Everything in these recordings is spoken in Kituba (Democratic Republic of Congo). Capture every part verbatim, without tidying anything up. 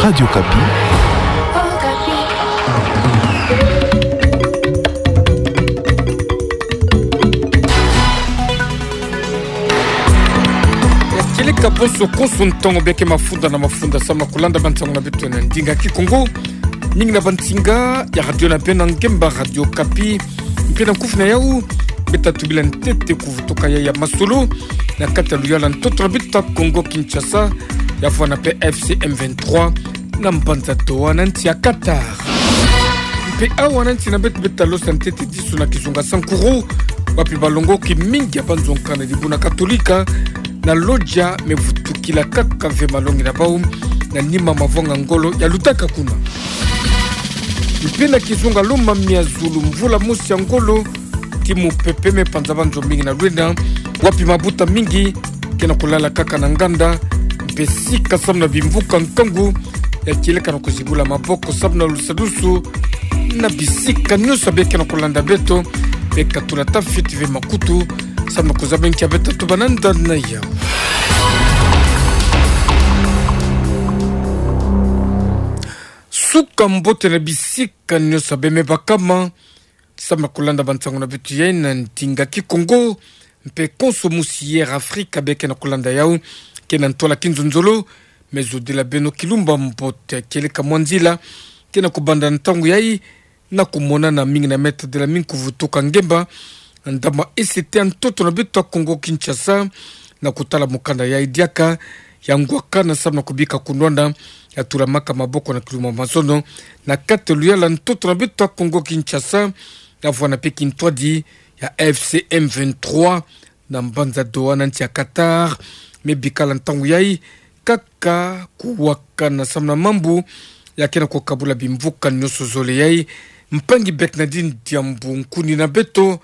Radio Okapi. Kieleka bonso konso ntangu beke mafunda na mafunda samu na kulanda bansango na beto na ndinga Kikongo. Mingi na bansinga ya radio na beno ngemba Radio Okapi. Mpe na nkufi na yau, beta tubila ntete kuvutuka ya ya masolo na kati ya luyala ntoto na beto ya Kongo Kinshasa, ya vwanda mpe F C M vingt-trois na mbanza Doha na nsi ya Qatar. Mpe awa na nsi na beto beta losa ntete disu na kizunga Sankuru, wapi balongoki mingi ya banzonkana dibuna Katolika na lodja me vutukila kaka ve malongi na bau na nima mavanga ngolo ya lutaka kuna. Mpe na kizunga Lomami ya zulu, mvula mosi ya ngolo, ti mupepe me panza banzo mingi na lwena, wapi mabuta mingi ke na kulala kaka na nganda, mpe sika samu na bimvuka nkangu ya kieleka na kuzibula maboko samu na lusadusu na bisika nyonso beke na kulanda beto, mpe katula tafiti ve makutu samu na kuzaba nkia beta tubananda na yau. Suka mbote na bisika nyonso beme bakama samu na kulanda bansango na beto yai na ndinga Kikongo, mpe konso musi Air Africa beke na kulanda yau, ke na ntwala kinzonzolo, me zodila beno kilumba mbote. Kieleka mwa nzila ke na kubanda ntangu yai na kumonana mingi na meta dela mingi kuvutuka ngemba ndama esete ya ntoto na beto ya Kongo Kinshasa, na kutala mukanda yai diaka ya ngwakana samu na kubika kunwana ya tulamaka maboko na kilumba mazono na kati ya luyala ntoto na beto ya Kongo Kinshasa, ya vwanda mpe kintwadi ya F C M vingt-trois na mbanza Doha na nsi ya Qatar. Me bikala ntangu yai kaka kuwakana samu na mambu ya ke na kukabula bimvuka nyonso zole yai. Mpangi Bernardine Diambu, nkuni na beto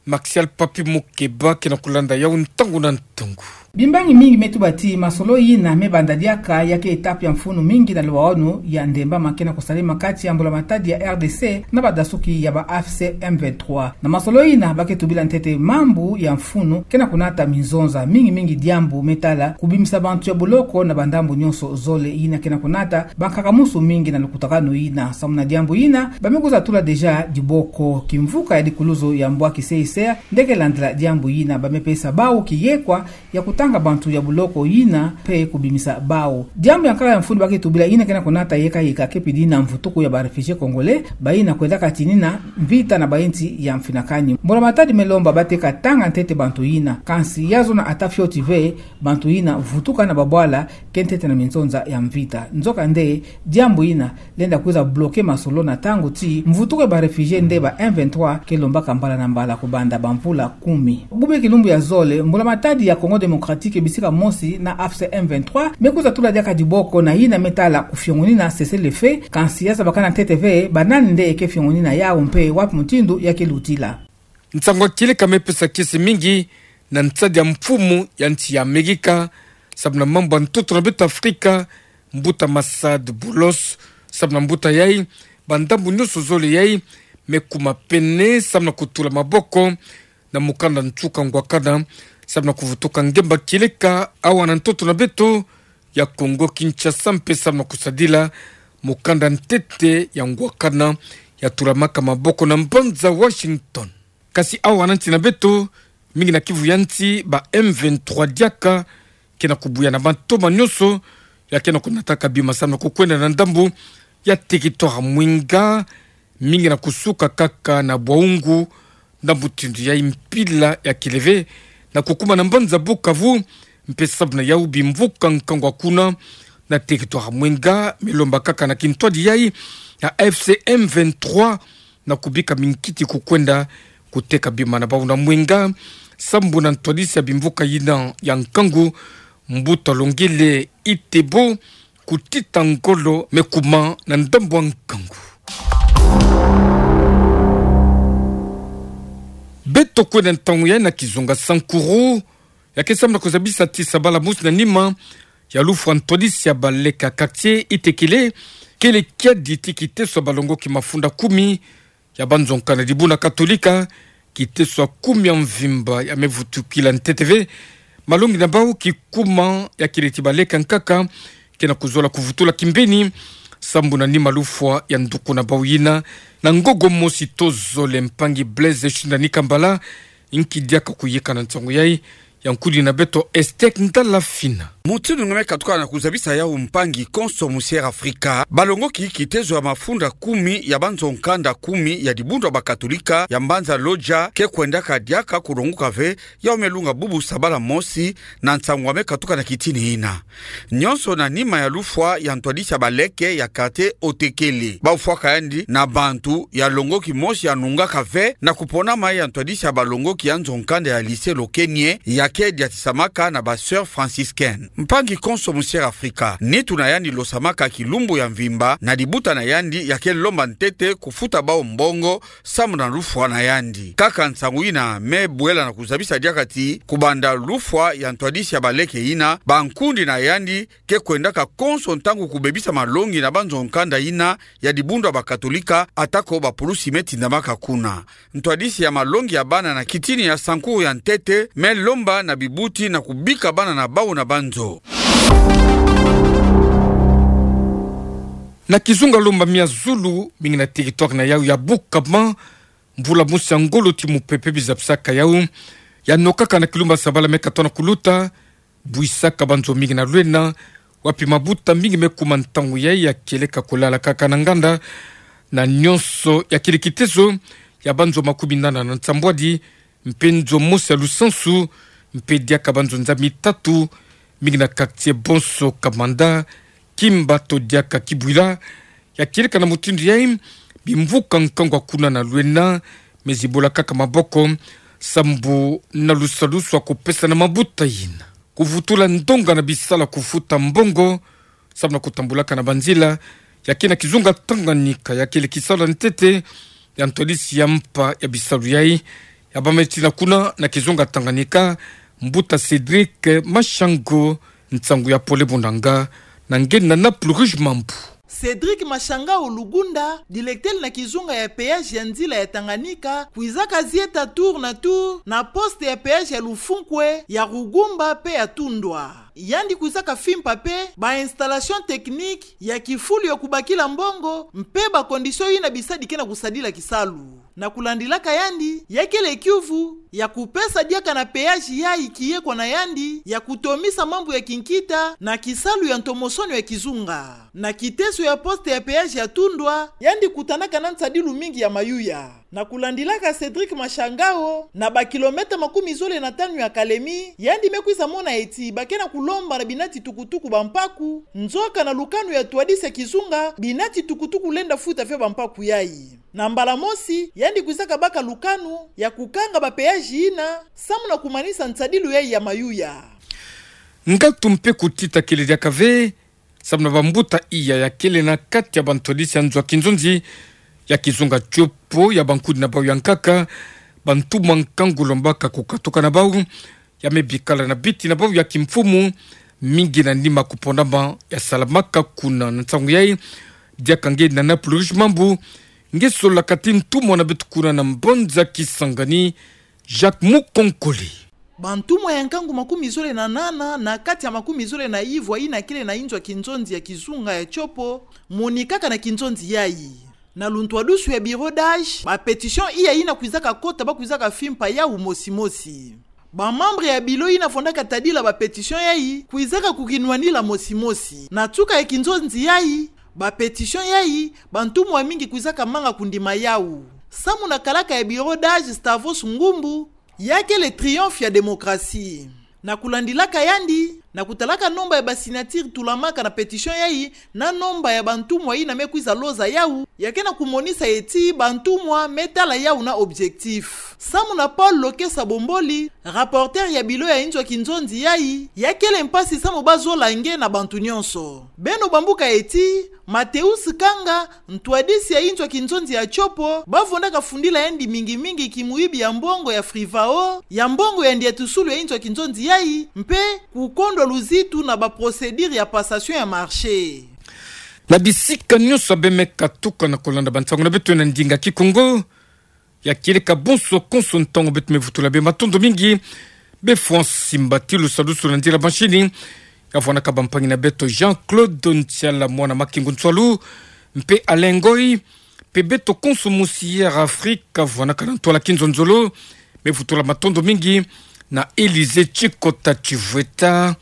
Maxial Papi Mukeba ke na kulanda yau ntangu na ntangu. Bimbangi mingi me tuba ti masolo yina me banda diaka ya ke étape ya mfunu mingi na luwaono ya ndemba ma ke na kusalema kati ya mbula matadi ya R D C na badasuki ya ba F C M vingt-trois. Na masolo yina ba ke tubila ntete mambu ya mfunu ke na kunata minzonza mingi mingi, diambu me tala kubimisa bantu ya buloko na bandambu nyonso zole yina ke na kunata bankaka musu mingi na lukutakanu yina. Samu na diambu yina, ba me kwiza tula déjà diboko kimvuka ya dikuluzo ya mbwa kiseisea nde ke landila diambu yina. Ba me pesa bau kiyekwa ya kutanga bantu ya buloko yina mpe kubimisa bau. Diambu ya nkaka ya mfunu ba ke tubila yina ke na kunata yeka yeka ke pidi na mvutuku ya ba réfugiés congolais, bayina kwendaka tinina mvita na ba insi ya mfinakani. Mbula matadi me lomba ba teka tanga ntete bantu yina. Kansi ya zona ata fioti ve bantu yina vutuka na babwala ke ntete na minzonza ya mvita. Nzoka nde, diambu yina lenda kwiza bloquer masolo na ntangu ti mvutuku ya ba réfugiés nde ba M vingt-trois ke lombaka mbala na mbala kubanda bamvula kumi. Bube kilumbu ya zole, mbula matadi ya Congo Démocratique bisika mosi na F C M vingt-trois me kwiza tula diaka diboko na yina me tala kufiongonina cessez-le-feu, kansi ya zabakana ntete ve banani nde ke fiongonina yau mpe wapi mutindu ya ke lutila. Nsangu ya kieleka me pesa kiese mingi na nsadi ya mfumu ya nsi ya Amerika samu na mambu ya ntoto na beto Afrika, mbuta Massad Boulos. Samu na mbuta yai, bandambu nyonso zole yai me kuma pene samu na kutula maboko na mukanda nsuka ngwakana samu na kuvutuka ngemba kieleka awa na ntoto na beto ya Congo Kinshasa mpe samu na kusadila mukanda ntete ya ngwakana ya tulamaka maboko na mbanza Washington. Kasi awa na nsi na beto, mingi na kivu ya nsi, ba M vingt-trois diaka ke na kubuya na matoma nyonso ya ke na kunataka bima samu na kukwenda na ndambu ya territoire Mwenga, mingi na kusuka kaka na Bwaungu, ndambu mutindu yai mpila ya keleve na kukuma na mbanza Bukavu, mpe samu na yau bimvuka nkangu kuna na territoire Mwenga me lomba kaka na kintwadi yai ya F C M vingt-trois na kubika minkiti kukwenda kuteka bima na bau na Mwenga, sambu na ntwadisi ya bimvuka yina ya nkangu, mbuta Longele Itebo, kutita ngolo me kuma na ndambu ya nkangu. Beto kwenda ntangu yai na kizunga Sankuru, ya ke samu na kuzabisa ti sabala musi na nima ya lufwa ntwadisi ya baleka quartier Itekele, kele kiadi ti kiteso ya balongoki mafunda kumi ya banzonkana dibuna Katolika, kiteso ya kumi ya mvimba ya me vutukila ntete ve malongi na bau kikuma ya kele ti baleka nkaka, ke na kuzola kuvutula kimbeni, sambu na nima lufwa ya nduku na bau yina, na ngogo mosi tozole mpangi Blaise Shindani Kambala, nki diaka kuyeka na nsangu yai, ya nkudi na beto Esther Ndala Fina. Mutindu nge me katuka na kuzabisa yau mpangi konso mu Sierra Afrika, balongoki kitezo ya mafunda kumi ya banzo nkanda kumi ya dibundu ya bakatolika ya mbanza Loja ke kwendaka diaka kulonguka ve, yau me lunga bubu sabala mosi, na nsangu me katuka na kitini yina. Nyonso na nima ya lufwa ya ntwadisi ya baleke ya quartier Otekele. Bau fwaka yandi na bantu ya longoki mosi ya nungaka ve na kuponama ya ntwadisi ya balongoki ya nzo nkanda ya lycée Lokenie ya ke diatisamaka na ba sœurs franciscaines. Mpangi konso mu Sierra Afrika, nitu na yandi losamaka kilumbu ya mvimba na dibuta na yandi ya ke lomba ntete kufuta bau mbongo, sambu na lufwa na yandi. Kaka nsangu yina me bwela na kuzabisa diaka ti, kubanda lufwa ya ntwadisi ya baleke yina, bankundi na yandi ke kwendaka konso ntangu kubebisa malongi na banzo nkanda yina ya dibundu ya bakatolika, atako bapulusi me tindamaka kuna. Ntwadisi ya malongi ya bana na kitini ya sankuru ya ntete me lomba na bibuti na kubika bana na bau na banzo. Na kizunga Lomba Mia Zulu, mingi na territoire na yau ya Bukama, mvula mosi ya ngolo ti mupepe bizapisaka yau, ya nokaka na kilumba sabala me katona kuluta, buisaka banzo mingi na lwena, wapi mabuta mingi me kuma ntangu yai ya kieleka kulala kaka na nganda, na nyonso ya kili kitezo ya banzo makumi nana na nsambwadi, mpe nzo mosi ya lusansu, mpe diaka banzo nza mitatu, mingi na quartier Bonso Kamanda, Kimba to diaka Kibwila, ya kieleka na mutindu yai, bimvuka nkangu ya kuna na lwena, me zibola kaka maboko, sambu na lusalusu ya kupesa na mabuta yina. Kuvutula ndonga na bisala kufuta mbongo, sambu na kutambulaka na banzila, ya ke na kizunga Tanganyika, ya kele kisalu ya ntete ya ntwadisi ya mpa ya bisalu yai, ya bameti na kuna na kizunga Tanganyika, mbuta Cédric Mashango, nsangu ya pole bunanga, na nge na Naples Rouge Mambu. Cédric Mashangao Lugunda, dilektele na kizunga ya péage ya nzila ya Tanganyika, kwizaka zieta tour na tour na poste ya péage ya Lufunkwe, ya Rugumba mpe ya Tundwa. Yandi kwizaka fimpa mpe ba installation technique ya kifulu ya kubakila mbongo mpe ba condition yina bisadi ke na kusadila kisalu. Na kulandilaka yandi, ya kele kiuvu ya kupesa diaka na péage yai kiye kwa na yandi ya kutomisa mambu ya kinkita na kisalu ya ntomosono ya kizunga. Na kiteso ya poste ya péage ya Tundwa, yandi kutanaka na nsadilu mingi ya mayuya. Na kulandilaka Cédric Mashangao, na ba kilomètre makumi zole na tanu ya Kalemi, yandi me kwiza mona eti ba ke na kulomba na binati tukutuku bampaku, nzoka na lukanu ya ntwadisi ya kizunga, binati tukutuku lenda futa ve bampaku yai. Na mbala mosi, yandi kwizaka baka lukanu ya kukanga ba péage yina, samu na kumanisa nsadilu yai ya mayuya. Ngatu mpe kutita kele diaka ve, samu na bambuta iya ya kele na kati ya bantwadisi ya nzo ya kinzonzi ya kizunga Tshopo, ya bankudi na bau ya nkaka, bantumwa nkangu lombaka kukatuka na bau, ya me bikala na biti na bau ya kimfumu, mingi na nima kuponama ya salamaka kuna. Na nsangu yai, diaka nge na Naples Rouge Mambu, nge solaka ti ntumwa na beto kuna na mbanza Kisangani, Jacques Mukonkole. Bantumwa ya nkangu makumi zole na nana na kati ya makumi zole na ivwa yina kele na inzo ya kinzonzi ya kizunga ya Tshopo, monikaka na kinzonzi yai. Na luntwadusu ya bureau d'âge, ba pétition iya yina kwizaka kota ba kwizaka fimpa yau mosi mosi. Ba membre ya bilo yina fondaka tadila ba pétition yai, kwizaka kukinwanila mosi mosi. Na nsuka ya kinzonzi yai, ba pétition yai, bantumwa mingi kwizaka manga kundima yau. Samu na kalaka ya bureau d'âge Stavros Ngumbu, ya kele triomphe ya démocratie. Na kulandilaka yandi, na kutalaka nomba ya ba signature tulamaka na pétition yai, na nomba ya bantumwa yina me kwiza loza yau, ya ke na kumonisa eti bantumwa me tala yau na objectif. Samu na Paul Lokesa Bomboli, rapporteur ya bilo ya inzo ya kinzonzi yai, ya kele mpasi samu ba zola nge na bantu nyonso. Beno bambuka eti, Mateus Kanga, ntwadisi ya inzo ya kinzonzi ya Tshopo, ba fondaka fundila yandi mingi mingi kimuibi ya mbongo ya Frivao, ya mbongo ya ndiatusulu ya inzo ya kinzonzi yai, mpe kukondwa luzitu na ba procédure ya passation ya marché. Na bisika nyonso beno me katuka na kulanda bansangu na beto na ndinga Kikongo, ya kieleka bonso konso ntangu beto me vutula beno matondo mingi. Be Francis Mbati, lusadusu na nzila mashini, Kavoanaka bampangi na beto Jean-Claude Ntiala, mwana Makingu Nsualu, mpe Alain Ngoyi, mpe beto konso musi Air Afrique, kavoanaka na ntwala Kinzonzolo, me vutula matondo mingi na Élysée Tchikota Tchivueta,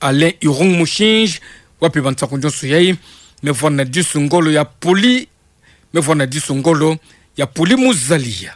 Alain Irung Mushinji, wapi bansaku nyonso yai, me voana disu ngolo ya poli, me voana disu ngolo ya poli muzaliya.